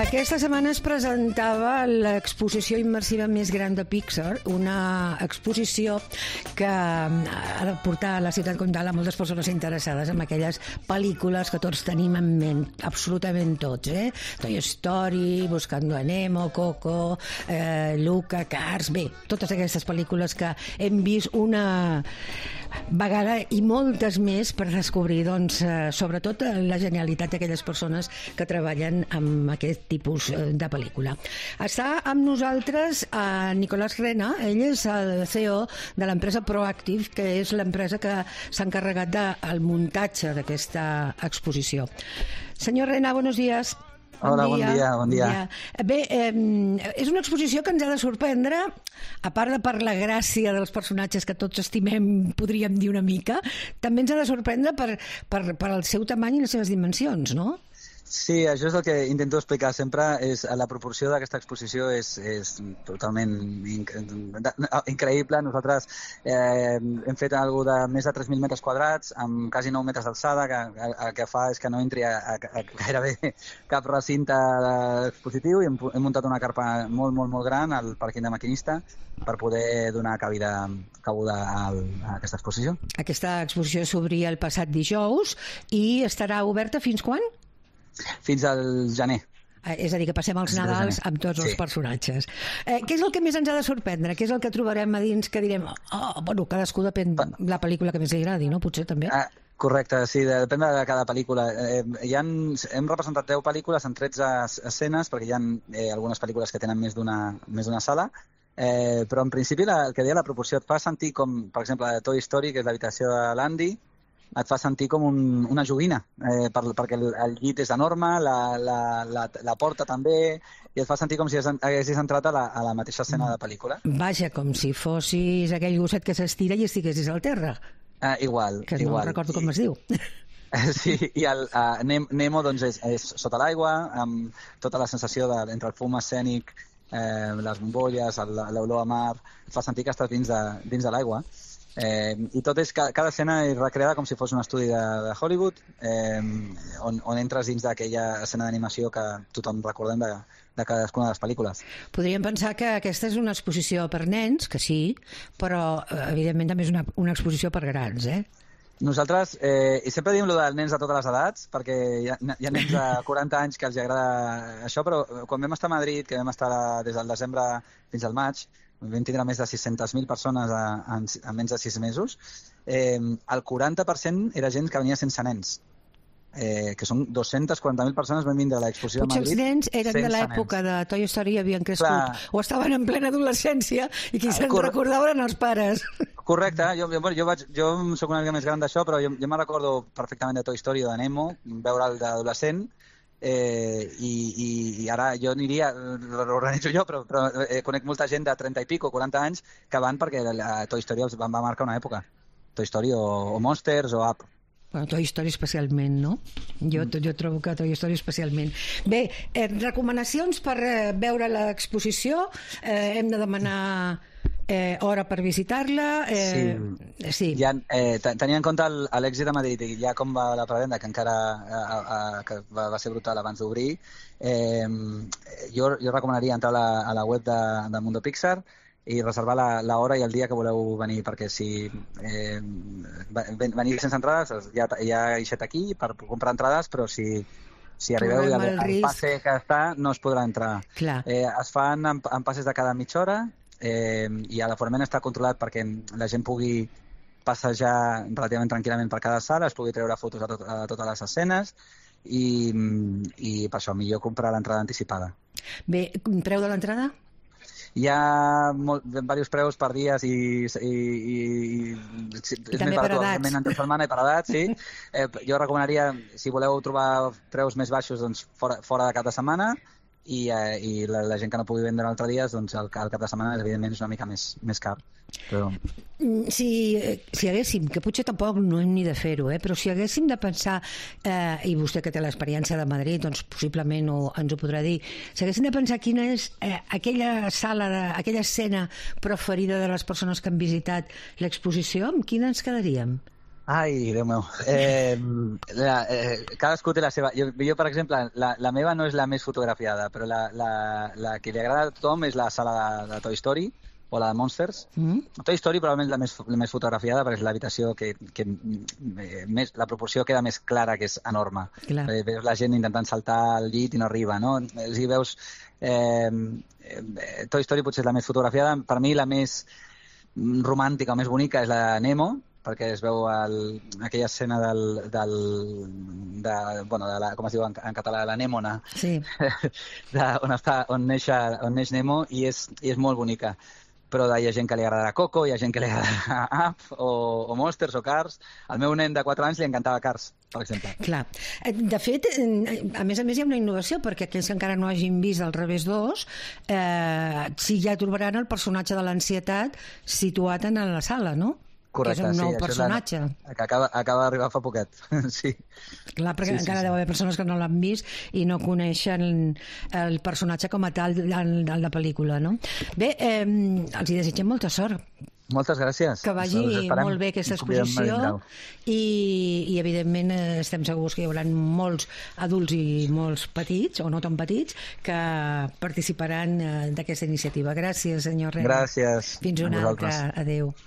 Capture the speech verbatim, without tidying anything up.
Aquesta setmana es presentava l'exposició immersiva més gran de Pixar, una exposició que ha de portar a la ciutat comtal a moltes persones interessades en aquelles pel·lícules que tots tenim en ment, absolutament tots, eh? Toy Story, Buscando a Nemo, Coco, eh, Luca, Cars, bé, totes aquestes pel·lícules que hem vist una vegada i moltes més per descobrir, doncs, eh, sobretot la genialitat d'aquelles persones que treballen amb aquest tipus de pel·lícula. Està amb nosaltres a Nicolás Rena, ell és el C E O de l'empresa Proactive, que és l'empresa que s'ha encarregat del muntatge d'aquesta exposició. Senyor Rena, buenos días. Bon Hola, dia, bon dia, bon dia. dia. Bé, eh, és una exposició que ens ha de sorprendre, a part de per la gràcia dels personatges que tots estimem, podríem dir una mica, també ens ha de sorprendre per, per, per el seu tamany i les seves dimensions, no? Sí, això és el que intento explicar sempre, és la proporció d'aquesta exposició és, és totalment inc increïble. Nosaltres eh, hem fet algo de més de tres mil metres quadrats, amb quasi nou metres d'alçada, que el que fa és que no entri a, a, a gairebé cap recinte expositiu, i hem, hem muntat una carpa molt, molt, molt gran al pàrquing de maquinista per poder donar cabida, cabuda a, a aquesta exposició. Aquesta exposició s'obria el passat dijous i estarà oberta fins quan? Fins al gener. És a dir, que passem els Nadals amb tots els sí. personatges. Eh, què és el que més ens ha de sorprendre? Què és el que trobarem a dins que direm, oh, bueno, cadascú depèn de la pel·lícula que més li agradi, no? Potser també. Ah, correcte, sí, depèn de cada pel·lícula. Eh, hi ha, hem representat deu pel·lícules en tretze escenes, perquè hi ha eh, algunes pel·lícules que tenen més d'una més d'una sala, eh, però en principi la, el que deia la proporció et fa sentir com, per exemple, Toy Story, que és l'habitació de l'Andy, et fa sentir com un, una joguina, eh, per, perquè el, el llit és enorme, la, la, la, la porta també, i et fa sentir com si haguessis entrat a la, a la mateixa escena de pel·lícula. Vaja, com si fossis aquell gosset que s'estira i estiguessis al terra. Uh, igual, que igual. no recordo com I... es diu. Sí, i el uh, Nemo doncs, és, és sota l'aigua, amb tota la sensació de, entre el fum escènic, eh, les bombolles, l'olor a mar, et fa sentir que estàs dins de, dins de l'aigua. Eh, i tot és, cada, cada escena és recreada com si fos un estudi de, de Hollywood, eh, on, on entres dins d'aquella escena d'animació que tothom recordem de, de cadascuna de les pel·lícules. Podríem pensar que aquesta és una exposició per nens, que sí, però evidentment també és una, una exposició per grans, eh? Nosaltres, eh, i sempre diem lo dels nens de totes les edats, perquè hi ha, hi ha nens de quaranta anys que els agrada això, però quan vam estar a Madrid, que vam estar des del desembre fins al maig, vam tindre més de sis-centes mil persones a, a, a menys de sis mesos, eh, el quaranta per cent era gent que venia sense nens, eh, que són dues-centes quaranta mil persones van vindre a l'exposició de Madrid. Potser els nens eren de l'època de Toy Story i havien crescut, clar, o estaven en plena adolescència i qui se'n recordaven eren els pares. Correcte, jo, jo, jo, vaig, jo soc una mica més gran d'això, però jo, jo me'n recordo perfectament de Toy Story o de Nemo, veure'l d'adolescent. Eh, i, i, i ara jo aniria, l'organitzo jo, però, però eh, conec molta gent de trenta i pico, quaranta anys, que van perquè la Toy Story els va, va marcar una època. Toy Story o, o Monsters o Up. Bueno, Toy Story especialment, no? Jo, jo trobo que Toy Story especialment. Bé, eh, recomanacions per eh, veure l'exposició. Eh, hem de demanar eh, hora per visitar-la. Eh, sí. sí. Ja, eh, tenint en compte l'èxit de Madrid i ja com va la prevenda, que encara a, a, que va, va ser brutal abans d'obrir, eh, jo, jo recomanaria entrar a la, a la web de, de Mundo Pixar i reservar l'hora i el dia que voleu venir, perquè si eh, venir sense entrades ja, ja he eixet aquí per comprar entrades, però si, si arribeu i el, el passe que està no es podrà entrar. Eh, es fan en, en passes de cada mitja hora, eh, i l'aforament està controlat perquè la gent pugui passejar relativament tranquil·lament per cada sala, es pugui treure fotos a, tot, a totes les escenes, i, i per això millor comprar l'entrada anticipada. Bé, preu de l'entrada? Hi ha molt, diversos preus per dies i, i, i, i, I també per edats. Entre setmana i per edats, sí. Eh, jo recomanaria, si voleu trobar preus més baixos, doncs fora, fora de cap de setmana, i, eh, i la, la gent que no pugui vendre l'altre dia, doncs el, el cap de setmana evidentment és una mica més, més car. Però... Si, si haguéssim, que potser tampoc no hem ni de fer-ho, eh, però si haguéssim de pensar, eh, i vostè que té l'experiència de Madrid, doncs possiblement ho, ens ho podrà dir, si haguéssim de pensar quina és eh, aquella sala, de, aquella escena preferida de les persones que han visitat l'exposició, amb quina ens quedaríem? Ai, Déu meu. Eh, la, eh, cadascú té la seva... Jo, jo per exemple, la, la meva no és la més fotografiada, però la, la, la que li agrada a tothom és la sala de, de Toy Story, o la de Monsters. Mm. Toy Story probablement la més, la més fotografiada perquè és l'habitació que, que eh, més, la proporció queda més clara, que és enorme. Eh, veus la gent intentant saltar al llit i no arriba, no? Si veus... Eh, eh, Toy Story potser és la més fotografiada. Per mi la més romàntica o més bonica és la de Nemo, perquè es veu el, aquella escena del, del de, bueno, de la, com es diu en, en català, la Nèmona, sí. de, on, està, on, neix, on neix Nemo, i és, i és molt bonica. Però hi ha gent que li agradarà Coco, hi ha gent que li agradarà Up, o, o Monsters, o Cars. Al meu nen de quatre anys li encantava Cars, per exemple. Clar. De fet, a més a més hi ha una innovació, perquè aquells que encara no hagin vist El revés dos, eh, sí, ja trobaran el personatge de l'ansietat situat en la sala, no? Correcte, que és un nou sí, personatge. La, que acaba, acaba d'arribar fa poquet, sí. Clar, perquè sí, encara sí, deu haver persones que no l'han vist i no coneixen el personatge com a tal de la pel·lícula, no? Bé, eh, els hi desitgem molta sort. Moltes gràcies. Que vagi molt bé aquesta exposició i, i evidentment estem segurs que hi haurà molts adults i molts petits, o no tan petits, que participaran d'aquesta iniciativa. Gràcies, senyor Rena. Gràcies. Fins una altra. Adéu.